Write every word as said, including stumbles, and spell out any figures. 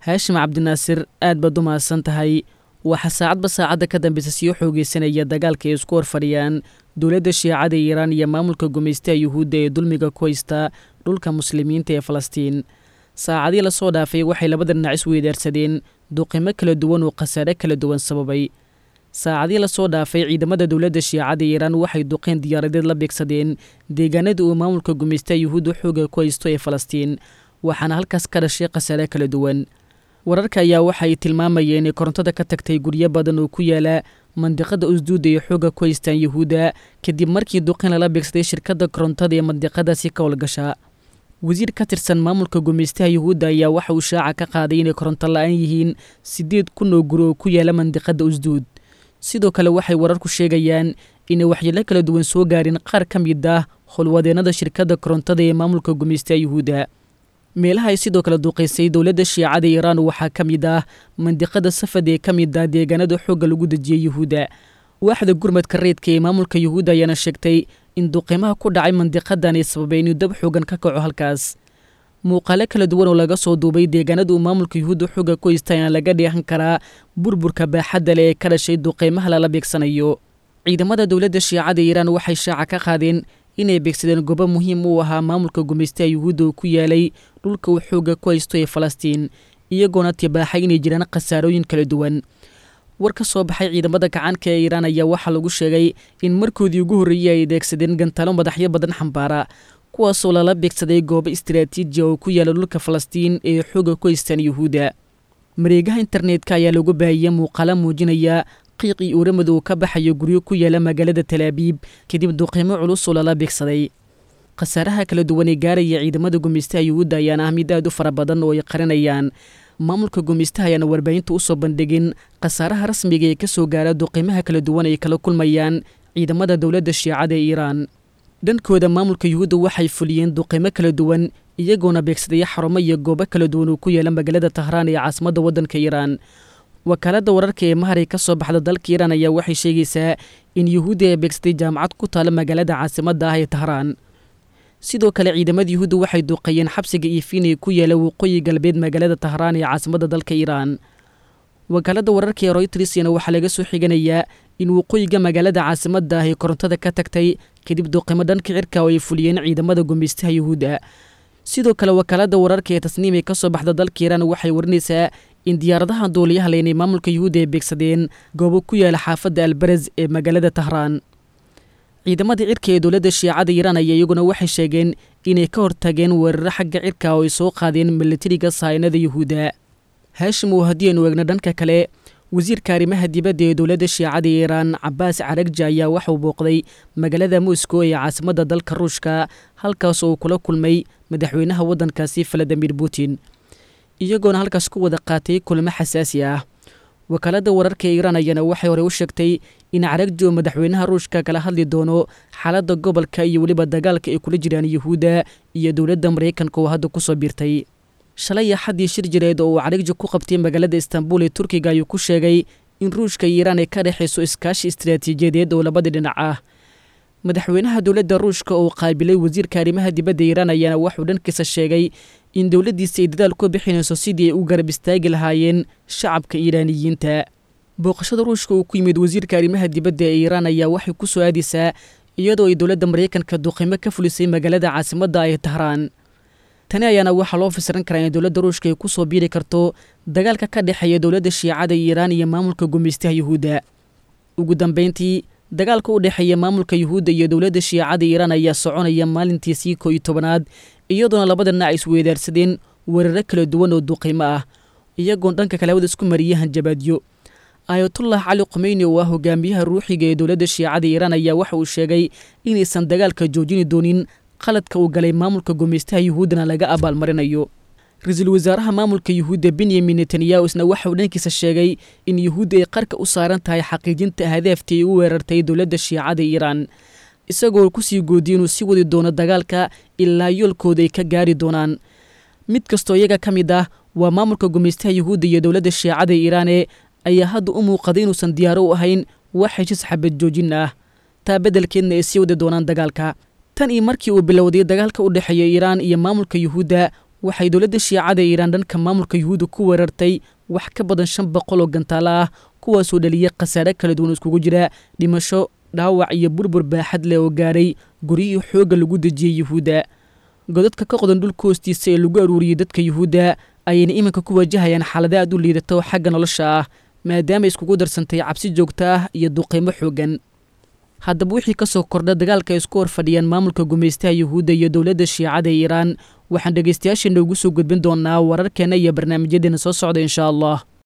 Haashim Cabdinaasir, aad baad u mahadsan tahay. Waxaa saacadba saacadda ka dambeysa sii xoogeysanaya dagaalka ay isku horfadhiyaan dowladda Shiicada Iiraan iyo maamulka gumaystaha Yuhuudda ee dulmiga ku haysta dhulka muslimiinta ee Falastiin. Saacadii lasoo dhaafay waxay labada dhinac isweydaarsadeen duqimo kala duwan oo khasaare kala duwan sababay. Saacadii lasoo dhaafay ciidamada dowladda Shiicada Iiraan waxay duqeen diyaaradeed la beegsadeen deegaanada uu maamulka gumaystaha Yuhuudda xooga ku haysto ee Falastiin, waxaana halkaas ka dhashay khasaare kala duwan. Wararka ayaa waxay tilmaamayeen inay korontada ka tagtay guryo badan oo ku yaala mandiqada Usduuda ee xoogga ku haystaan Yuhuudda, kadib markii duqin lala beegsaday shirkadda korontada ee mandiqadaasi ka howlgasha. Wasiir ka tirsan maamulka gumaystaha Yuhuudda ayaa waxa uu shaaca ka qaaday inay koronto la-aan yihiin siddeed kun oo guri oo ku yaala mandiqada Usduud. Sidoo kale waxay wararku sheegayaan inay waxyeelo kala duwan soo gaarin qaar ka mid ah howlwadeennada shirkadda korontada ee maamulka gumaystaha Yuhuudda. Meelaha ay sidoo kale duqaysay dowladda Shiicada Iiraan waxaa ka mid ah mandiqada Safad ee ka mid ah deegaanada xoogga lagu dejiyey Yuhuudda. Waaxda gurmadka reedka ee maamulka Yuhuudda ayaana sheegtay in duqimaha ku dhacay mandiqadan ay sababay inuu dab xoogan ka kaco halkaas. Muuqaalo kala duwan oo laga soo duubay deegaanada uu maamulka Yuhuudda xoogga ku haysta ayaa laga dheehan karaa burburka baaxadda leh ee ka dhashay duqeymaha lala beegsanayo. Ciidamada dowladda Shiicada Iiraan waxay shaaca ka qaadeen inay beegsadeen goobo muhiim u ahaa maamulka gumaystaha Yuhuudda oo ku yaalay dhulka uu xoogga ku haysto ee Falastiin, iyagoona tibaaxay inay jiraan khasaarooyin kala duwan. War ka soo baxay ciidamada gacanka ee Iiraan ayaa waxaa lagu sheegay in markoodii ugu horreeyey ay adeegsadeen gantaalo madaxyo badan xambaara, kuwaasoo lala beegsaday goobo istiraatiiji oo ku yaala dhulka Falastiin ee xoogga ku haystaan Yuhuudda. Mareegaha internetka ayaa lagu baahiyey muuqaalo muujinaya qiiq iyo uramad uu ka baxayo guryo ku yaala magaalada Talaabiib kadib duqeymo culus oo lala beegsaday. Khasaaraha kala duwan ee gaaraya ciidamada gumaystaha Yuhuudda ayaana ah mid aad u fara badan oo ay qarinayaan. Maamulka gumaystaha ayaana warbaahinta u soo bandhigin khasaaraha rasmiga ee kasoo gaara duqeymaha kala duwan ay kala kulmayaan ciidamada dowladda Shiicada ee Iiraan. Dhankooda maamulka Yuhuudda waxay fuliyeen duqeymo kala duwan, iyagoona beegsadaya xarumo iyo goobo kala duwan oo ku yaala magaalada Tahraan ee caasimadda waddanka Iiraan. Wakaaladda wararka ee Maharay ka soo baxda dalka Iiraan ayaa waxay sheegaysaa in Yuhuudda ay beegsatay jaamacad ku taala magaalada caasimadda ah ee Tahraan. Sidoo kale ciidamada Yuhuudda waxay duqeeyeen xabsiga Ifiin ee ku yaala waqooyi galbeed magaalada Tahraan ee caasimadda dalka Iiraan. Wakaaladda wararka ee Reuters-na waxaa laga soo xiganayaa in waqooyiga magaalada caasimadda ah ee korontada ka tagtay kadib duqeymo dhanka cirka oo ay fuliyeen ciidamada gumaystaha Yuhuudda. Sidoo kale wakaaladda wararka ee Tasniim ee ka soo baxda dalka Iiraan waxay warinaysaa in diyaaradaha duuliyaha leynay maamulka Yuhuudda ay beegsadeen goobo ku yaala xaafadda Albaraz ee magaalada Tahraan. Ciidamada cirka ee dowladda Shiicada Iiraan ayaa iyaguna waxay sheegeen inay ka hortageen weeraro xagga cirka oo ay soo qaadeen milatariga sahaynada Yuhuudda. Haashim, oo haddii aynu eegno dhanka kale, wasiirka arrimaha dibadda ee dowladda Shiicada Iiraan Cabaas Caragji ayaa waxauu booqday magaalada Moscow ee caasimadda dalka Ruushka, halkaas oo uu kula kulmay madaxweynaha waddankaasi Valadimir Putin, iyagoona halkaas ku wada qaatay kulamo xasaasi ah. Wakaaladda wararka ee Iiraan ayaana waxay horey u sheegtay in Caragji oo madaxweynaha Ruushka kala hadli doono xaaladda gobolka iyo weliba dagaalka ay kula jiraan Yuhuudda iyo dowladda Maraykanka oo hadda kusoo biirtay. Shalay axaddii shir jireed oo uu Caragji ku qabtay magaalada Istanbul ee Turkiga ayuu ku sheegay in Ruushka iyo Iiraan ay ka dhexayso iskaashi istiraatiijiyadeed oo labada dhinac ah. Madaxweynaha dowladda Ruushka oo qaabilay wasiirka arrimaha dibadda Iiraan ayaana wuxuu dhankiisa sheegay in dowladdiisa ay dadaal ku bixinayso sidii ay u garab istaagi lahaayeen shacabka Iiraaniyiinta. Booqashada Ruushka uu ku yimid wasiirka arrimaha dibadda ee Iiraan ayaa waxay ku soo aadaysaa iyadoo ay dowladda Maraykanka duqeymo ka fulisay magaalada caasimadda ee Tahraan. Tani ayaana waxaa loo fasiran karaa in dowladda Ruushka ay ku soo biiri karto dagaalka ka dhexeeya dowladda Shiicada Iiraan iyo maamulka gumaystaha Yuhuudda. Ugu dambeyntii, dagaalka u dhexeeya maamulka Yuhuudda iyo dowladda Shiicada Iiraan ayaa soconaya maalintiisii koo iyo tobanaad, iyadoona labada dhinac isweydaarsadeen weeraro kala duwan oo duqeymo ah, iyagoon dhanka kale hawada isku mariyay hanjabaadyo. Ayatullah Cali Khumeyni oo ah hogaamiyaha ruuxiga ee dowladda Shiicada Iiraan ayaa waxa uu sheegay inaysan dagaalka joojini doonin, qaladka uu galay maamulka gumaystaha Yuhuuddana laga abaalmarinayo. Ra-iisul wasaaraha maamulka Yuhuudda Benyamin Netanyahu isna waxa uu dhankiisa sheegay in Yuhuudda ay qarka u saaran tahay xaqiijinta ahdaaftii ay u weerartay dowladda Shiicada Iiraan, isagoo kusii goodiyay inuu sii wadi doono dagaalka ilaa yoolkooda ay ka gaari doonaan. Mid kastoo iyaga ka mid ah waa maamulka gumaystaha Yuhuudda iyo dowladda Shiicada Iiraane ayaa hadda u muuqaday inuusan diyaaro u ahayn wax heshiis xabad joojin ah, taa beddelkeedna ay sii wadi doonaan dagaalka. Tan iyo markii uu bilowday dagaalka u dhexeeya Iiraan iyo maamulka Yuhuudda, Waxay dowladda Shiicada Iiraan dhanka maamulka Yuhuudda ku weerartay wax ka badan shan boqol oo gantaalo ah, kuwaasoo dhaliyay khasaare kala duwan iskugu jira dhimasho, dhaawac iyo burbur baaxad leh oo gaaray guryihii xoogga lagu dejiyey Yuhuudda. Godadka ka qodan dhulka hoostiisa ee lagu aruuriyey dadka Yuhuudda ayayna iminka ku wajahayaan xaalada aad u liidata oo xagga nolosha ah, maadaama iskugu darsantay cabsi joogto ah iyo duqeymo xooggan. Haddaba wixii ka soo kordha dagaalka ay isku hor fadhiyaan maamulka gumaystaha Yuhuudda iyo dowladda Shiicada Iiraan, waxaan dhegaystayaasheena ugu soo gudbin doonaa wararkeenna iyo barnaamijyadeena soo socda insha Allah.